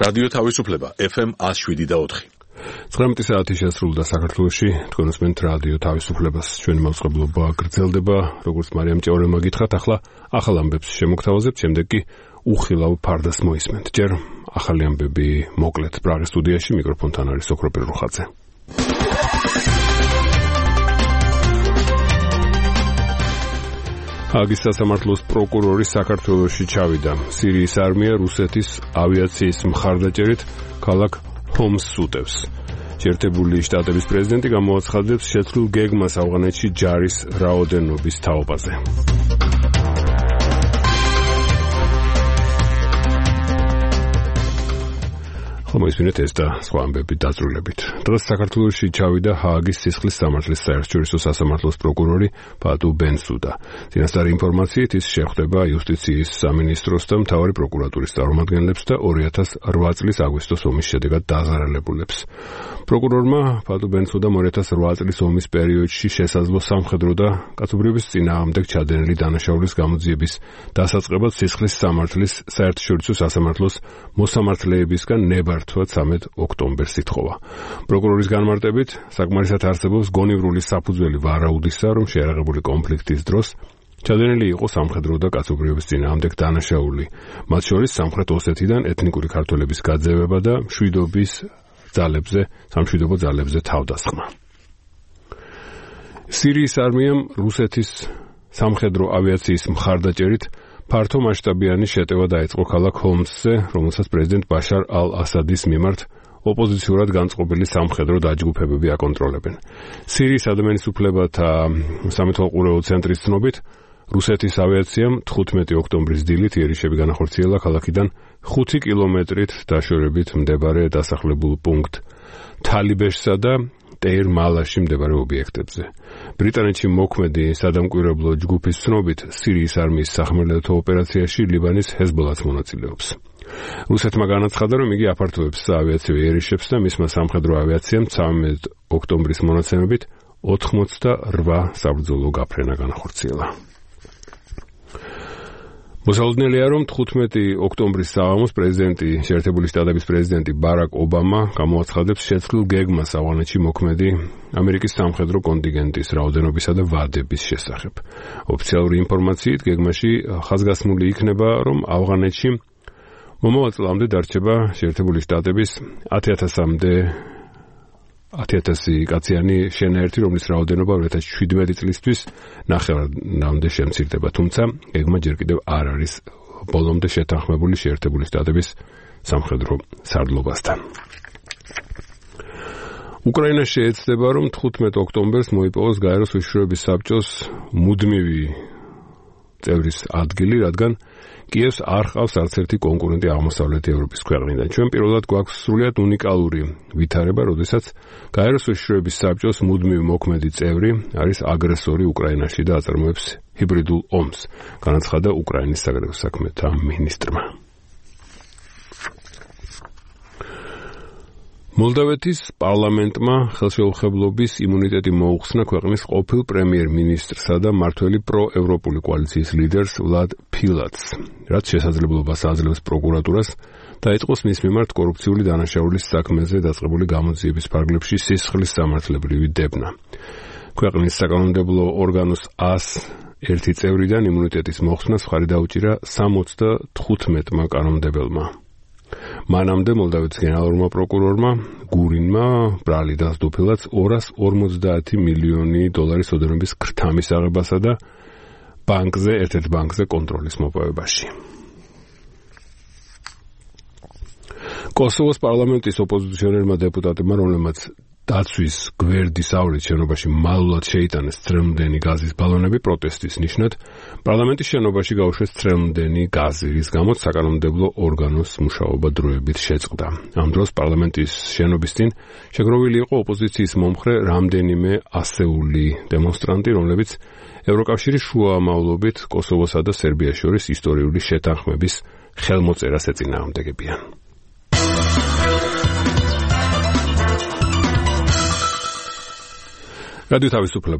რადიო თავისუფლება FM 107.4. 19 საათი შესრულდა საქართველოში, თქვენ უსმენთ რადიო თავისუფლებას. ჩვენი მაუწყებლობა გრძელდება, როგორც მარიამ ჭეორელმა გითხრათ, ახლა ახალ ამბებს შემოგთავაზებთ, შემდეგ კი უხილავ ფარდას მოისმენთ. ჯერ ახალი ამბები მოკლედ პრაღის სტუდიაში, მიკროფონთან არის ოქრო პირუხაძე. ჰაგის სასამართლოს პროკურორი საქართველოში ჩავიდა. სირიის არმია რუსეთის ავიაციის მხარდაჭერით ქალაქ ჰომსს უტევს. შეერთებული შტატების პრეზიდენტი გამოაცხადებს შეცვლილ გეგმას ავღანეთში ჯარის რაოდენობის თაობაზე. მოისმინეთ ეს და სხვა ამბები დაწვრილებით. დღეს საქართველოში ჩავიდა ჰააგის სისხლის სამართლის საერთაშორისო სასამართლოს პროკურორი პატუ ბენსუდა. წინასწარი ინფორმაციით ის შეხვდება იუსტიციის სამინისტროს და მთავარი პროკურატურის წარმომადგენლებს და 2008 წლის აგვისტოს ომის შედეგად დაზარალებულებს. პროკურორმა პატუ ბენსუდამ 2008 წლის ომის პერიოდში შესაძლო სამხედრო და კაცობრიობის წინააღმდეგ ჩადენილი დანაშაულის გამოძიების დასაწყებად სისხლის სამართლის საერთაშორისო სასამართლოს მოსამართლეებისგან ნება 13 ოქტომბერს ითხოვა. პროკურორის განმარტებით, საკმარისად არსებობს გონივრული საფუძველი ვარაუდისა, რომ შეერაღებული კონფლიქტის დროს ჩადენილი იყო სამხედრო და კაცობრიობის წინააღმდეგ დანაშაული, მათ შორის სამხრეთ ოსეთიდან ეთნიკური ქართველების გაძევება და სამშვიდობო ძალებზე თავდასხმა. სირიის არმიამ რუსეთის სამხედრო ავიაციის მხარდაჭერით ფართო მასშტაბიანი შეტევა დაიწყო ქალაქ ჰომსზე, რომელსაც პრეზიდენტ ბაშარ ალ-ასადის მიმართ ოპოზიციურად განწყობილი სამხედრო დაჯგუფებები აკონტროლებენ. სირიის ადამიანის უფლებათა სამეთვალყურეო ცენტრის ცნობით, რუსეთის ავიაციამ 15 ოქტომბრის დილით იერიშები განახორციელა ქალაქიდან 5 კილომეტრით დაშორებით მდებარე დასახლებულ პუნქტ თალიბეშსა და ტეირ-მალაში მდებარე ობიექტებზე. ბრიტანეთში მოქმედი სადამკვირვებლო ჯგუფის ცნობით, სირიის არმიის სახმელეთო ოპერაციაში ლიბანის ჰეზბოლაც მონაწილეობს. რუსეთმა განაცხადა, რომ იგი აფართოებს საავიაციო იერიშებს და მისმა სამხედრო ავიაციამ 13 ოქტომბრის მონაცემებით 88 საბრძოლო გაფრენა განახორციელა. მოსალოდნელია, რომ 15 ოქტომბრის საღამოს შეერთებული შტატების პრეზიდენტი ბარაკ ობამა გამოაცხადებს შეცვლილ გეგმას ავღანეთში მოქმედი ამერიკის სამხედრო კონტინგენტის რაოდენობისა და ვადების შესახებ. ოფიციალური ინფორმაციით, გეგმაში ხაზგასმული იქნება, რომ ავღანეთში მომავალ წლამდე დარჩება შეერთებული შტატების 10,000 კაციანი შენაერთი, რომლის რაოდენობა 2017 წლისთვის ნახევარამდე შემცირდება, თუმცა გეგმა ჯერ კიდევ არ არის ბოლომდე შეთანხმებული შეერთებული შტატების სამხედრო სარდლობასთან. უკრაინა შეეცდება, რომ 15 ოქტომბერს მოიპოვოს გაეროს უშიშროების საბჭოს მუდმივი წევრის ადგილი, რადგან კიევს არ ჰყავს არც ერთი კონკურენტი აღმოსავლეთი ევროპის ქვეყნიდან. ჩვენ პირველად გვაქვს სრულიად უნიკალური ვითარება, როდესაც გაეროს უშიშროების საბჭოს მუდმივი მოქმედი წევრი არის აგრესორი უკრაინაში და აწარმოებს ჰიბრიდულ ომს, განაცხადა უკრაინის საგარეო საქმეთა მინისტრმა. მოლდავეთის პარლამენტმა ხელშეუხებლობის იმუნიტეტი მოუხსნა ქვეყნის ყოფილ პრემიერ-მინისტრსა და მართველი პროევროპული კოალიციის ლიდერს ვლად ფილატს, რაც შესაძლებლობას აძლევს პროკურატურას დაიწყოს მის მიმართ კორუფციული დანაშაულის საქმეზე დაწყებული გამოძიების ფარგლებში სისხლის სამართლებრივი დებნა. ქვეყნის საკანონმდებლო ორგანოს 101 წევრიდან იმუნიტეტის მოხსნას მხარი დაუჭირა 75-მა კანონმდებელმა. მანამდე მოლდავეთის გენერალურმა პროკურორმა გურინმა ბრალი დასდო ფილატს 250 მილიონი დოლარის ოდენობის ქრთამის აღებასა და ერთ-ერთ ბანკზე კონტროლის მოპოვებაში. კოსოვოს პარლამენტის ოპოზიციონერმა დეპუტატებმა, რომლებმაც დაცვის გვერდის ავრით შენობაში მალულად შეიტანეს წრემლდენი გაზის ბალონები პროტესტის ნიშნად, პარლამენტის შენობაში გაუშვეს წრემლდენი გაზი, რის გამოც საკანონმდებლო ორგანოს მუშაობა დროებით შეწყდა. ამ დროს პარლამენტის შენობის წინ შეგროვილი იყო ოპოზიციის მომხრე რამდენიმე ასეული დემონსტრანტი, რომლებიც ევროკავშირის შუამავლობით კოსოვოსა და სერბიას შორის ისტორიული შეთანხმების ხელმოწერას ეწინააღმდეგებიან. რადიო თავისუფლება